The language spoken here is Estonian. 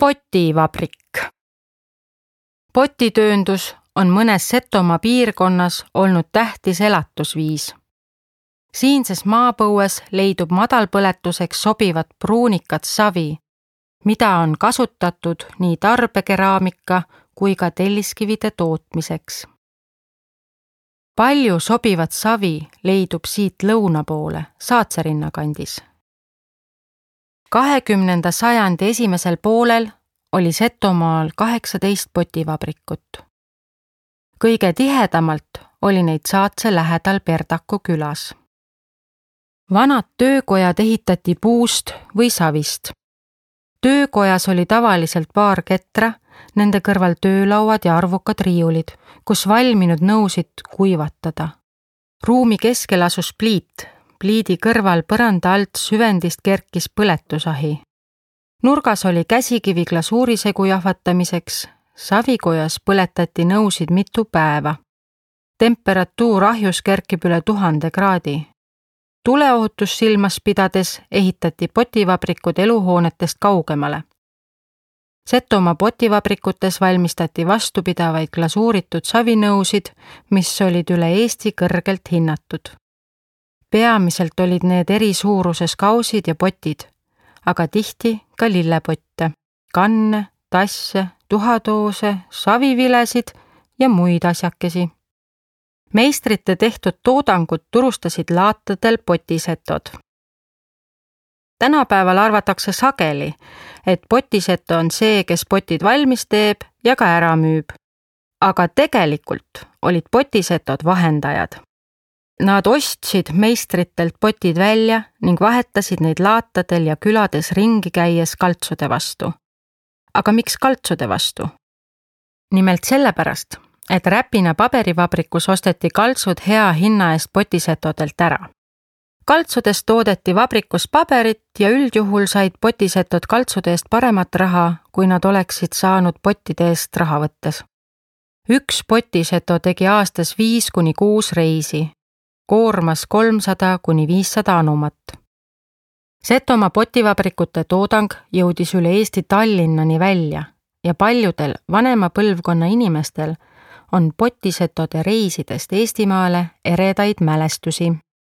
Potivabrik. Potitööndus on mõnes Setomaa piirkonnas olnud tähtis elatusviis. Siinses maapõues leidub madalpõletuseks sobivat pruunikat savi, mida on kasutatud nii tarbekeraamika kui ka telliskivide tootmiseks. Palju sobivat savi leidub siit lõuna poole, Saatsarinna kandis. 20. sajandi esimesel poolel oli Setomaal 18 potivabrikut. Kõige tihedamalt oli neid Saatse lähedal Perdaku külas. Vanad töökojad ehitati puust või savist. Töökojas oli tavaliselt paar ketra, nende kõrval töölauad ja arvukad riiulid, kus valminud nõusid kuivatada. Ruumi keskel asus pliit. Pliidi kõrval põranda alt süvendist kerkis põletusahi. Nurgas oli käsikivi glasuurisegu jahvatamiseks, savikojas põletati nõusid mitu päeva. Temperatuur ahjus kerkib üle 1000 kraadi. Tuleohutus silmas pidades ehitati potivabrikud eluhoonetest kaugemale. Setomaa potivabrikutes valmistati vastupidavaid glasuuritud savinõusid, mis olid üle Eesti kõrgelt hinnatud. Peamiselt olid need eri suuruses kausid ja potid, aga tihti ka lillepotte, kanne, tasse, tuhatoose, savivilesid ja muid asjakesi. Meistrite tehtud toodangut turustasid laatadel potisetod. Tänapäeval arvatakse sageli, et potiseto on see, kes potid valmis teeb ja ka ära müüb. Aga tegelikult olid potisetod vahendajad. Nad ostsid meistritelt potid välja ning vahetasid neid laatadel ja külades ringi käies kaltsude vastu. Aga miks kaltsude vastu? Nimelt sellepärast, et Räpina paberivabrikus osteti kaltsud hea hinna eest potisetodelt ära. Kaltsudest toodeti vabrikus paberit ja üldjuhul said potisetod kaltsude eest paremat raha, kui nad oleksid saanud pottide eest raha võttes. Üks potiseto tegi aastas 5-6 reisi. Koormas 300-500 anumat. Setomaa potivabrikute toodang jõudis üle Eesti Tallinnani välja ja paljudel vanema põlvkonna inimestel on potisetode reisidest Eestimaale eredaid mälestusi.